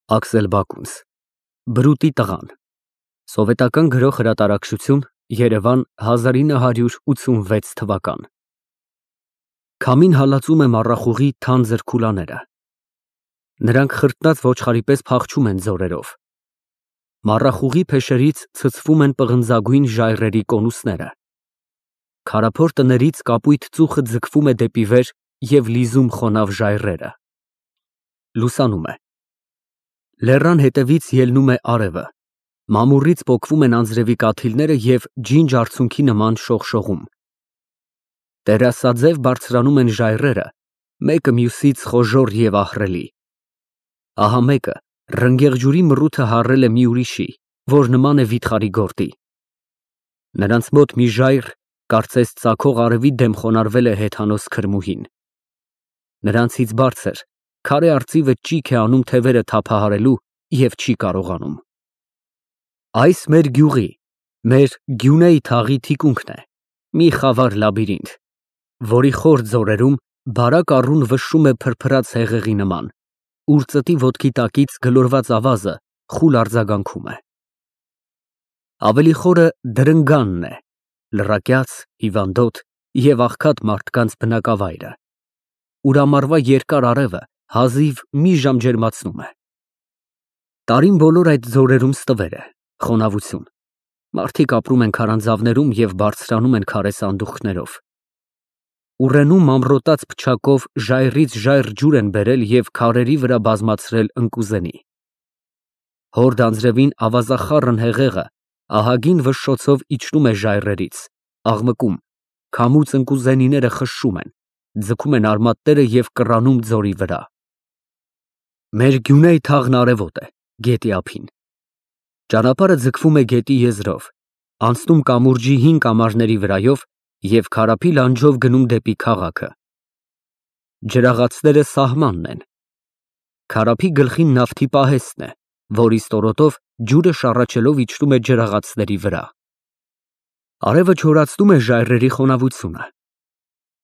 Աքսել Բակունց, Բրուտի տղան, Սովետական գրող հրատարակչություն, Երևան 1986 թվական։ Քամին հալածում է մառախուղի թանձր քուլաները։ Նրանք խրտնած ոչխարի պես փախչում են ձորերով։ Մառախուղի փեշերից ցցվում են պղնձագույն ժայռերի կոնուսները։ Քարափոր տներից կապույտ ծուխը ձգվում է դեպի վեր և լիզում խոնավ ժայռերը։ Լուսանում է։ Լեռան հետևից ելնում է արևը, մամուռից պոկվում են անձրևի կաթիլները և ջինջ արցունքի նման շողշողում։ Տերասաձև բարձրանում են ժայռերը, մեկը մյուսից խոժոռ և ահռելի։ Ահա մեկը ռնգեղ ջուրի մռութը հառել է մի ուրիշի, որ նման է վիթխարի գորտի։ Նրանց մոտ մի ժայռ, կարծես ծագող արևի դեմ խոնարհվել է հեթանոս քրմուհին։ Նրանցից բարձր, քարե արծիվը ճիգ է անում թևերը թափահարելու և չի կարողանում։ Այս մեր գյուղի, մեր Գյունեի թաղի թիկունքն է, մի խավար լաբիրինթ, որի խոր ձորերում բարակ առուն վշշում է փրփրած հեղեղի նման, ուր ծտի ոտքի տակից գլորված ավազը խուլ արձագանքում է։ Ավելի խորը դրնգանն է, լռակյաց, հիվանդոտ և աղքատ մարդկանց բնակավայրը, ուր ամառվա երկար արևը հազիվ մի ժամ ջերմացնում է։ Տարին բոլոր այդ ձորերում ստվեր է, խոնավություն, մարդիկ ապրում են քարանձավներում և բարձրանում են քարե սանդուղքներով։ Ուռենում ամրոտած փչակով ժայռից ժայռ ջուր են բերել և քարերի վրա բազմացրել ընկուզենի։ Հորդ անձրևին ավազախառն հեղեղը ահագին վշշոցով իջնում է ժայռերից, աղմկում, քամուց ընկուզենիները խշշում են, ձգում են արմատները և կռանում ձորի վրա։ Մեր Գյունեի թաղն արևոտ է, գետի ափին։ Ճանապարհը ձգվում է գետի եզրով, անցնում կամուրջի հին կամարների վրայով և քարափի լանջով գնում դեպի քաղաքը։ Ջրաղացները սահմանն են։ Քարափի գլխին նավթի պահեստն է, որի ստորոտով ջուրը շառաչելով իջնում է ջրաղացների վրա։ Արևը չորացնում է ժայռերի խոնավությունը։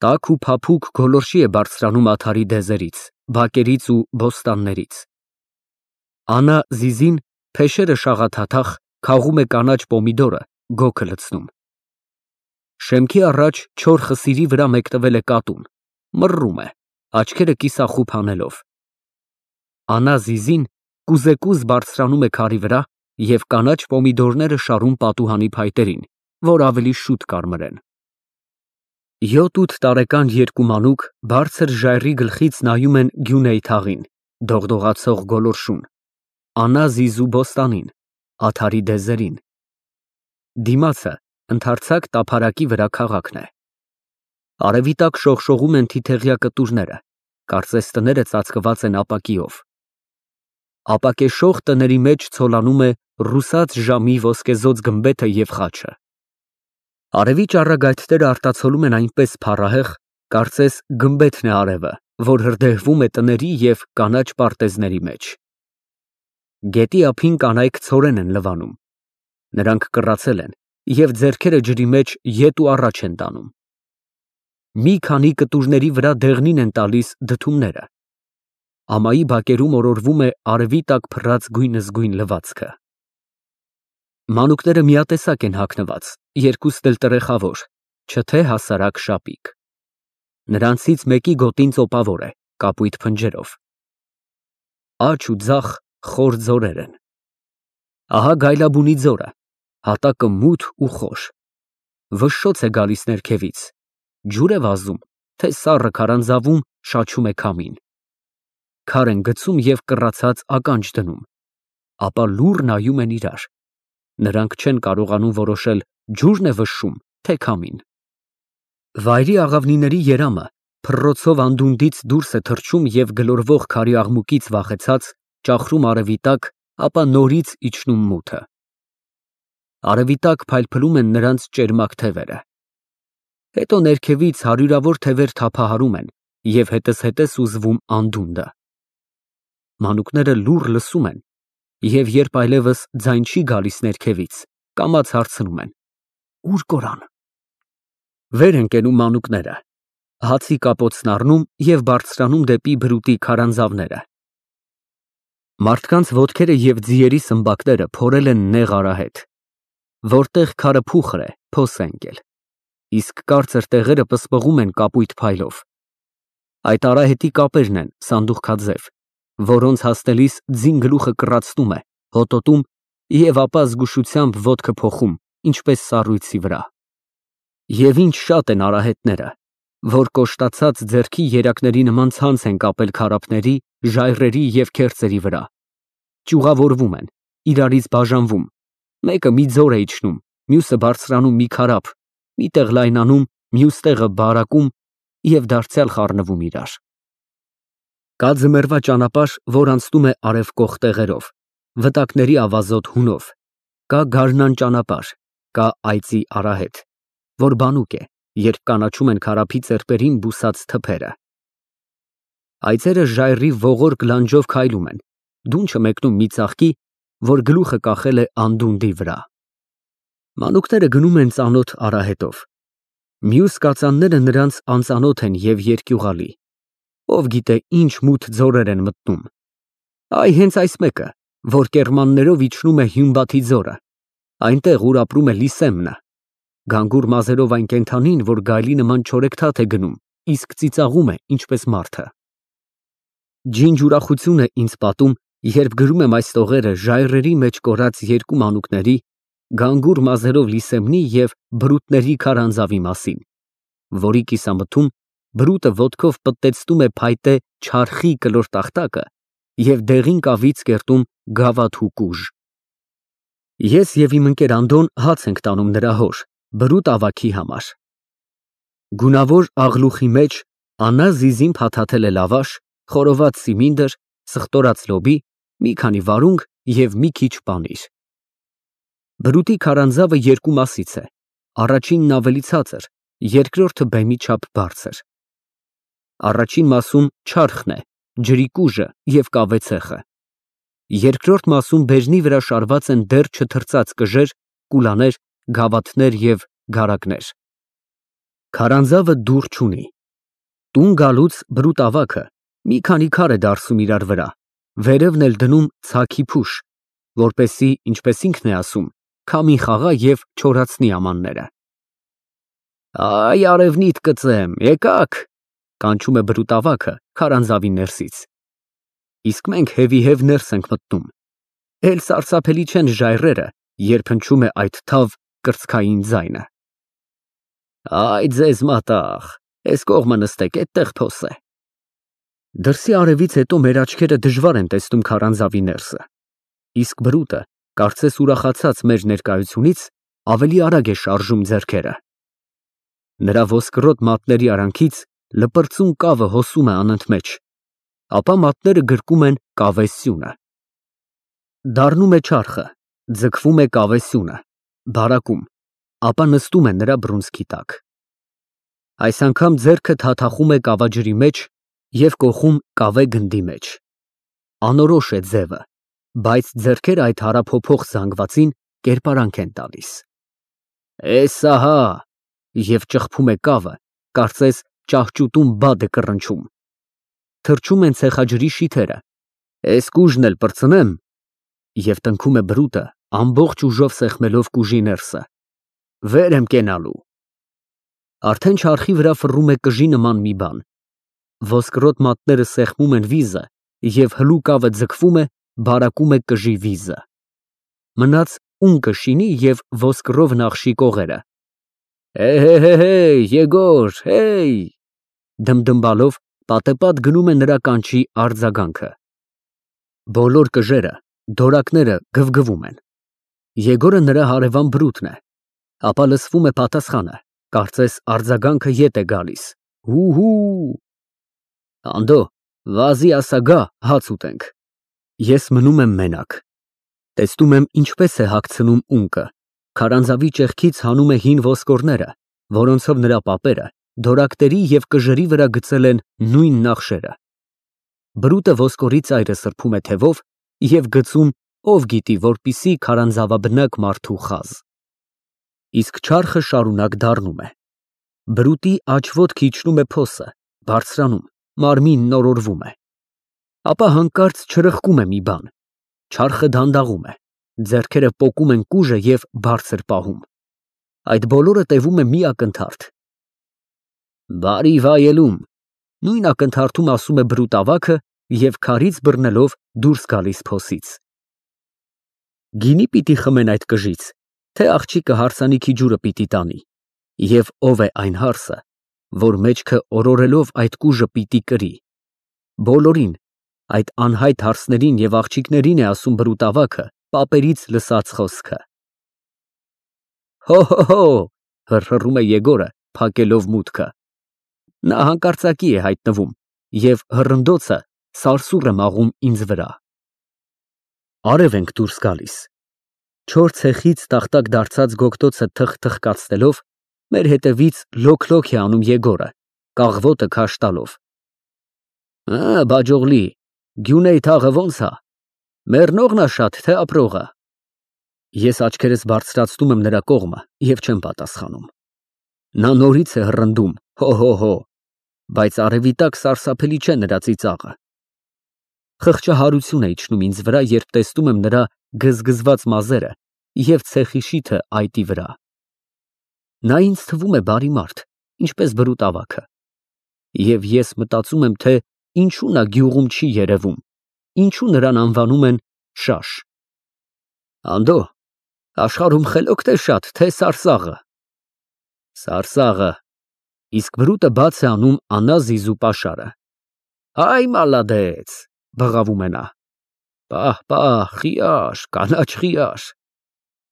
Տաք ու փափուկ գոլորշի է բարձրանում ադարի դեզերից, բակերից ու բոստաններից։ Անա Զիզին փեշերը շաղաթաթախ քաղում է կանաչ պոմիդորը, գոգը լցնում։ Շեմքի առաջ չոր խսիրի վրա մեկնվել է կատուն, մռռում է, աչքերը կիսախուփ անելով։ Անա Զիզին կուզեկուզ բարձրանում է քարի վրա և կանաչ պոմիդորները շարում պատուհանի փայտերին, որ ավելի շուտ կարմրեն։ 7-8 տարեկան երկու մանուկ բարձր ժայռի գլխից նայում են Գյունեի թաղին, դողդողացող գոլորշուն, Անա Զիզու բոստանին, ադարի դեզերին։ Դիմացը ընդարձակ տափարակի վրա քաղաքն է։ Արևի տակ շողշողում են թիթեղյա կտուրները, կարծես տները ծածկված են ապակիով։ Ապակեշող տների մեջ ցոլանում է ռուսաց ժամի ոսկեզօծ գմբեթը և խաչը։ Արևի ճառագայթները արտացոլում են այնպես փառահեղ, կարծես գմբեթն է արևը, որ հրդեհվում է տների և կանաչ պարտեզների մեջ։ Գետի ափին կանայք ցորեն են լվանում։ Նրանք կռացել են և ձեռքերը ջրի մեջ ետ ու առաջ են տանում։ Մի քանի կտուրների վրա դեղնին են տալիս դդումները։ Ամայի բակերում օրորվում է արևի տակ փռած գույնզգույն լվացքը։ Մանուկները միատեսակ են հագնված, երկուսն էլ տրեխավոր, չթե հասարակ շապիկ։ Նրանցից մեկի գոտին ծոպավոր է, կապույտ փնջերով։ Աջ ու ձախ խոր ձորեր են։ Ահա Գայլաբունի ձորը, հատակը մութ ու խոր։ Վշշոց է գալիս ներքևից, ջուր է վազում, թե սառը քարանձավում շաչում է քամին։ Քար են գցում և կռացած ականջ դնում, ապա լուռ նայում են իրար։ Նրանք չեն կարողանում որոշել ջուրն է վշշում, թե քամին։ Վայրի աղավնիների երամը փռոցով անդունդից դուրս է թռչում և գլորվող քարի աղմուկից վախեցած ճախրում արևի տակ, ապա նորից իջնում մութը։ Արևի տակ փայլփլում են նրանց ճերմակ թևերը։ Հետո ներքևից հարյուրավոր թևեր թափահարում են և հետզհետե սուզվում անդունդը։ Մանուկները լուռ լսում են և երբ այլևս ձայն չի գալիս ներքևից, կամաց հարցնում են. Ո՞ւր կորան։ Վեր են կենում մանուկները, հացի կապոցն առնում և բարձրանում դեպի բրուտի քարանձավները։ Մարդկանց ոտքերը և ձիերի սմբակները փորել են նեղ արահետ, որտեղ քարը փուխր է, փոս է ընկել, իսկ կարծր տեղերը պսպղում են կապույտ փայլով։ Այդ արահետի կապերն են սանդուղքաձև, որոնց հասնելիս ձին գլուխը կռացնում է, հոտոտում և ապա զգուշությամբ ոտքը փոխում, ինչպես սառույցի վրա։ Եվ ինչ շատ են արահետները, որ կոշտացած ձեռքի երակների նման ցանց են կապել քարափների, ժայռերի և քերծերի վրա, ճյուղավորվում են, իրարից բաժանվում, մեկը մի ձոր է իջնում, մյուսը բարձրանում մի քարափ, մի տեղ լայնանում, մյուս տեղը բարակում և դարձյալ խառնվում իրար։ Կա ձմեռվա ճանապարհ, որ անցնում է արևկող տեղերով, վտակների ավազոտ հունով, կա գարնան ճանապարհ, կա այծի արահետ, որ բանուկ է, երբ կանաչում են քարափի ծեպերին բուսած թփերը։ Այծերը ժայռի ողորկ լանջով քայլում են, դունչը մեկնում մի ծաղկի, որ գլուխը կախել է անդունդի վրա։ Մանուկները գնում են ծանոթ արահետով։ Մյուս կածանները նրանց անծանոթ են և երկյուղալի, ով գիտե ինչ մութ ձորեր են մտնում։ Այ հենց այս մեկը, որ կեռմաններով իջնում է Հյունբաթի ձորը, այնտեղ ուր ապրում է Լիսեմնը, գանգուր մազերով այն կենդանին, որ գայլի նման չորեքթաթ է գնում, իսկ ծիծաղում է, ինչպես մարդը։ Ջինջ ուրախություն է ինձ պատում, երբ գրում եմ այս տողերը ժայռերի մեջ կորած երկու մանուկների, գանգուր մազերով Լիսեմնի և բրուտների քարանձավի մասին, որի կիսամթում բրուտը ոտքով պտտեցնում է փայտե չարխի կլոր տախտակը և դեղին կավից կերտում գավաթ ու կուժ։ Ես և իմ ընկեր Անդոն հաց ենք տանում նրա հոր, բրուտ ավագի համար։ Գունավոր աղլուխի մեջ Աննա զիզին փաթաթել է լավաշ, խորոված սիմինդր, սխտորած լոբի, մի քանի վարունգ և մի քիչ պանիր։ Բրուտի քարանձավը երկու մասից է, առաջինն ավելի ցածր, երկրորդը բեմի չափ բարձր։ Առաջին մասում չարխն է, ջրի կուժը և կավե ցեխը։ Երկրորդ մասում բաժնի վրա շարված են դեռ չթրծած կժեր, կուլաներ, գավաթներ և գարակներ։ Քարանձավը դուռ չունի։ Տուն գալուց բրուտ ավագը մի քանի քար է դարսում իրար վրա, վերևն էլ դնում ցաքի փուշ, որպեսզի, ինչպես ինքն է ասում, քամի խաղա և չորացնի ամանները։ Այ արևնիտ կծեմ, եկաք, կանչում է բրուտ ավագը քարանձավի ներսից։ Իսկ մենք հևիհև ներս ենք մտնում։ Էլ սարսափելի չեն ժայռերը, երբ հնչում է այդ թավ կրծքային ձայնը։ Այ ձեզ մատաղ, էս կողմը նստեք, էդտեղ փոս է։ Դրսի արևից հետո մեր աչքերը դժվար են տեսնում քարանձավի ներսը, իսկ բրուտը, կարծես ուրախացած մեր ներկայությունից, ավելի արագ է շարժում ձեռքերը։ Նրա ոսկրոտ մատների արանքից լպրծուն կավը հոսում է անընդմեջ, ապա մատները գրկում են կավե սյունը։ Դառնում է չարխը, ձգվում է կավե սյունը, բարակում, ապա նստում է նրա բռունցքի տակ։ Այս անգամ ձեռքը թաթախում է կավաջրի մեջ և կոխում կավե գնդի մեջ։ Անորոշ է ձևը, բայց ձեռքերը այդ հարափոփող զանգվածին կերպարանք են տալիս։ Էս ահա, և ճխփում է կավը, կարծես ճահճուտում բադ է կռնչում։ Թռչում են ցեխաջրի շիթերը։ Էս կուժն էլ պրծնեմ, և տնքում է բրուտը, ամբողջ ուժով սեղմելով կուժի ներսը։ Վեր եմ կենալու։ Արդեն չարխի վրա ֆռում է կժի նման մի բան։ Ոսկրոտ մատները սեղմում են վիզը և հլու կավը ձգվում է, բարակում է կժի վիզը։ Մնաց ունկը շինի և ոսկրով նախշի կողերը։ Հե, Եգոր, հեյ, դմդմբալով պատեպատ գնում է նրա կանչի արձագանքը։ Բոլոր կժերը, դորակները գվգվում են։ Եգորը նրա հարևան բրուտն է, ապա լսվում է պատասխանը, կարծես արձագանքը ետ է գալիս։ Հու։ Անդո, վազի ասա գա, հաց ուտենք։ Ես մնում եմ մենակ։ Տեսնում եմ ինչպես է հագցնում ունկը, քարանձավի ճեղքից հանում է հին ոսկորները, որոնցով նրա պապերը դորակների և կժերի վրա գծել են նույն նախշերը։ Բրուտը ոսկորի ծայրը սրբում է թևով և գծում, ով գիտի, որպիսի քարանձավաբնակ մարդու խազ։ Իսկ չարխը շարունակ դառնում է։ Բրուտի աջ ոտքը իջնում է փոսը, բարձրանում, մարմինն օրորվում է։ Ապա հանկարծ չրխկում է մի բան, չարխը դանդաղում է, ձեռքերը պոկում են կուժը և բարձր պահում։ Այդ բոլորը տևում է մի ակնթարթ։ Բարի վայելում, նույն ակնթարթում ասում է բրուտավաքը և քարից բռնելով դուրս գալիս փոսից։ Գինի պիտի խմեն այդ կժից, թե աղջիկը հարսանիքի ջուրը պիտի տանի, և ով է այն հարսը, որ մեջքը օրորելով այդ կուժը պիտի կրի։ Բոլորին, այդ անհայտ հարսներին և աղջիկներին է ասում բրուտավաքը պապերից լսած խոսքը։ Հո, հռհռում է Եգորը, փակելով մուտքը։ Նա հանկարծակի է հայտնվում և հռնդոցը սարսուռ է մաղում ինձ վրա։ Արև ենք դուրս գալիս։ Չոր ցեխից տախտակ դարձած գոգտոցը թխթխկացնելով, մեր հետևից լոք-լոք է անում Եգորը, կաղվոտը քաշ տալով։ Բաջողլի, Գյունեի թաղը ո՞նց ա, մեռնողն ա շատ, թե ապրողը։ Ես աչքերս բարձրացնում եմ նրա կողմը և չեմ պատասխանում։ Նա նորից է հռնդում, հո, բայց արևի տակ սարսափելի չէ նրա ծիծաղը։ Խղճահարություն է իջնում ինձ վրա, երբ տեսնում եմ նրա գզգզված մազերը և ցեխի շիթը այտի վրա։ Նա ինձ թվում է բարի մարդ, ինչպես բրուտավաքը։ Եվ ես մտածում եմ, թե ինչու նա գյուղում չի երևում, ինչու նրան անվանում են Շաշ։ Անդո, աշխարհում խելոք թե շատ, թե սարսաղը։ Սարսաղը, իսկ բրուտը բաց է անում անազիզու պաշարը։ Այ մալադեց, բղավում է նա։ Պահ, խիաշ, կանաչ խիաշ։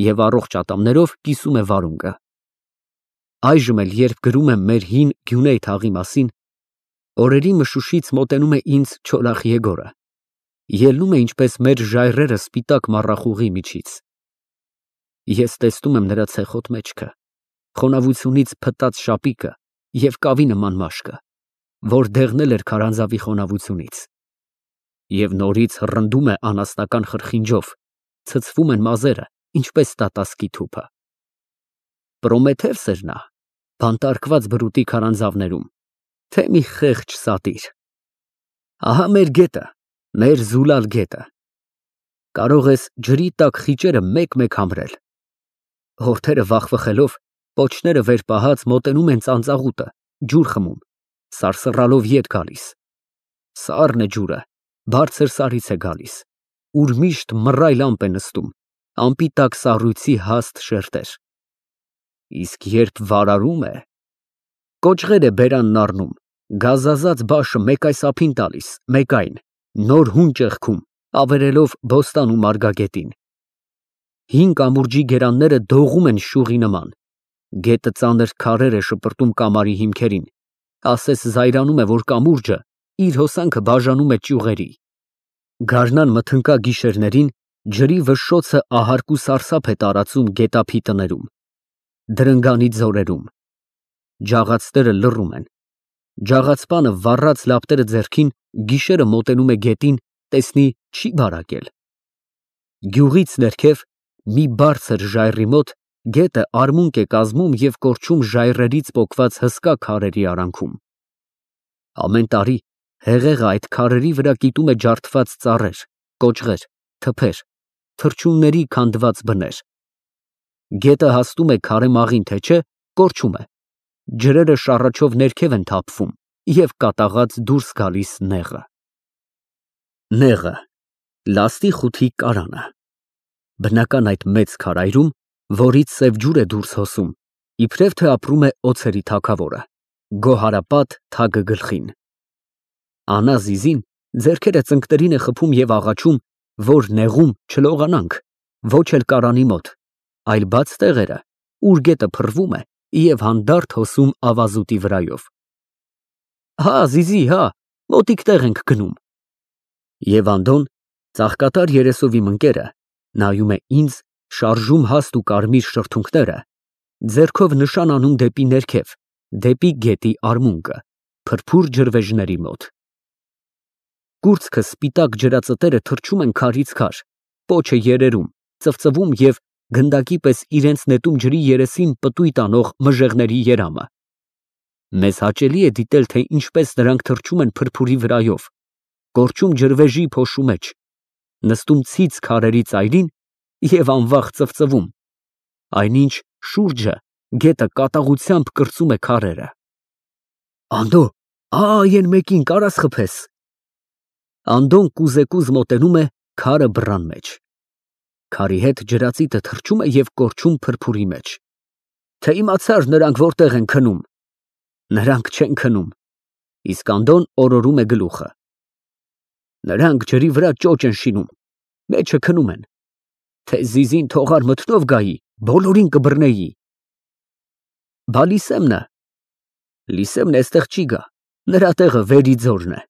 Եվ առողջ ատամներով կիսում է վարունգը։ Այժմ էլ, երբ գրում եմ մեր հին Գյունեի թաղի մասին, օրերի մշուշից մոտենում է ինձ Չոլախ Եգորը, ելնում է ինչպես մեր ժայռերը սպիտակ մառախուղի միջից։ Ես տեսնում եմ նրա ցեխոտ մեջքը, խոնավությունից փտած շապիկը և կավի նման մաշկը, որ դեղնել էր քարանձավի խոնավությունից։ Եվ նորից հռնդում է անասնական խրխինջով, ցցվում են մազերը, ինչպես տատասկի թուփը։ Պրոմեթևս էր նա, բանտարկված բրուտի քարանձավներում, թե մի խեղճ սատիր։ Ահա մեր գետը, մեր զուլալ գետը։ Կարող ես ջրի տակ խիճերը մեկ-մեկ համրել։ Հորթերը վախվխելով, պոչները վեր պահած մոտենում են ծանծաղուտը, ջուր խմում, սարսռալով ետ գալիս։ Սառն է ջուրը, բարձր սարից է գալիս, ուր միշտ մռայլ ամպ է նստում, ամպի տակ սառույցի հաստ շերտեր։ Իսկ երբ վարարում է, կոճղեր է բերանն առնում, գազազած բաշը մեկ այս ափին տալիս, մեկ այն, նոր հուն ճեղքում, ավերելով բոստան ու մարգագետին։ Հին կամուրջի գերանները դողում են շուղի նման, գետը ծանր քարեր է շպրտում կամարի հիմքերին, ասես զայրանում է, որ կամուրջը իր հոսանքը բաժանում է ճյուղերի։ Գարնան մթնկա գիշերներին ջրի վշշոցը ահարկ ու սարսափ է տարածում գետափի տներում, դրնգանի ձորերում։ Ջաղացները լռում են։ Ջաղացպանը վառած լապտերը ձեռքին գիշերը մոտենում է գետին, տեսնի չի բարակել։ Գյուղից ներքև մի բարձր ժայռի մոտ գետը արմունկ է կազմում և կորչում ժայռերից պոկված հսկա քարերի արանքում։ Ամեն տարի հեղեղը այդ քարերի վրա կիտում է ջարդված ծառեր, կոճղեր, թփեր, թռչունների քանդված բներ։ Գետը հասնում է քարե մաղին, թե չէ, կորչում է։ Ջրերը շառաչով ներքև են թափվում և կատաղած դուրս գալիս նեղը։ Նեղը, լաստի խութի կարանը։ Բնական այդ մեծ քարայրում, որից սև ջուր է դուրս հոսում, իբրև թե ապրում է օձերի թագավորը, գոհարապատ թագը գլխին։ Անազիզին ձեռքերը ծնկներին է խփում և աղաչում, որ նեղում չլողանանք, ոչ էլ կարանի մոտ, այլ բաց տեղերը, ուր գետը փռվում է և հանդարտ հոսում ավազուտի վրայով։ Հա, Զիզի, հա, մոտիկ տեղ ենք գնում։ Եվ Անդոն, ծաղկատար երեսով իմ ընկերը, նայում է ինձ, շարժում հաստ ու կարմիր շրթունքները, ձեռքով նշան անում դեպի ներքև, դեպի գետի արմունկը, փրփուր ջրվեժների մոտ։ Կուրծքը սպիտակ ջրածտերը թռչում են քարից քար, պոչը երերում, ծվծվում և գնդակի պես իրենց նետում ջրի երեսին պտույտ անող մժեղների երամը։ Մեզ հաճելի է դիտել, թե ինչպես նրանք թռչում են փրփուրի վրայով, կորչում ջրվեժի փոշու մեջ, նստում ցից քարերի ծայրին և անվախ ծվծվում, այնինչ շուրջը գետը կատաղությամբ կրծում է քարերը։ Անդո, այ էն մեկին կարա՞ս խփես։ Անդոն կուզեկուզ մոտենում է քարը բռան մեջ։ Քարի հետ ջրածիտը թռչում է և կորչում փրփուրի մեջ։ Թե իմացար նրանք որտեղ են քնում։ Նրանք չեն քնում։ Իսկ Անդոն օրորում է գլուխը։ Նրանք ջրի վրա ճոճ են շինում, մեջը քնում են։ Թե զիզին թողար մթնով գայի, բոլորին կբռնեի։ Բա Լիսեմնը։ Լիսեմն էստեղ չի գա, նրա տեղը Վերիձորն է։